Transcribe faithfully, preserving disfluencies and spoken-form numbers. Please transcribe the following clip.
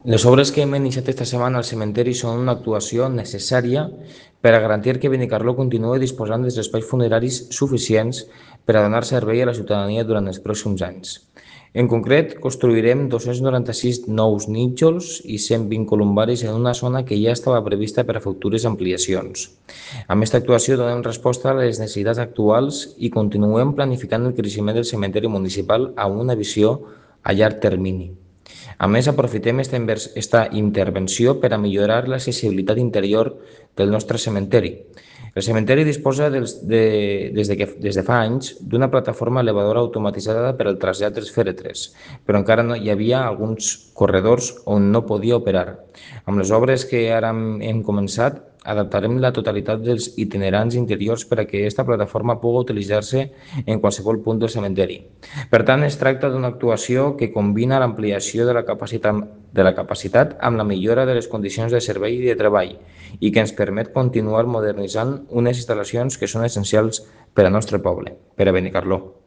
Les obres que hem iniciat esta setmana al cementeri són una actuació necessària per a garantir que Benicarló continuï disposant dels espais funeraris suficients per a donar servei a la ciutadania durant els pròxims anys. En concret, construirem dos-cents noranta-sis nous nínxols i cent vint columbaris en una zona que ja estava prevista per a futures ampliacions. Amb aquesta actuació donem resposta a les necessitats actuals i continuem planificant el creixement del cementeri municipal amb una visió a llarg termini. A més, aprofitem aquesta intervenció per a millorar l'accessibilitat interior del nostre cementeri. El cementeri disposa dels, de, des, de que, des de fa anys d'una plataforma elevadora automatitzada per al trasllat dels fèretres, però encara no hi havia alguns corredors on no podia operar. Amb les obres que ara hem començat, adaptarem la totalitat dels itinerants interiors per a que aquesta plataforma pugui utilitzar-se en qualsevol punt del cementeri. Per tant, es tracta d'una actuació que combina l'ampliació de la capacitat, de la capacitat amb la millora de les condicions de servei i de treball i que ens permet continuar modernitzant unes instal·lacions que són essencials per al nostre poble, per a Benicarló.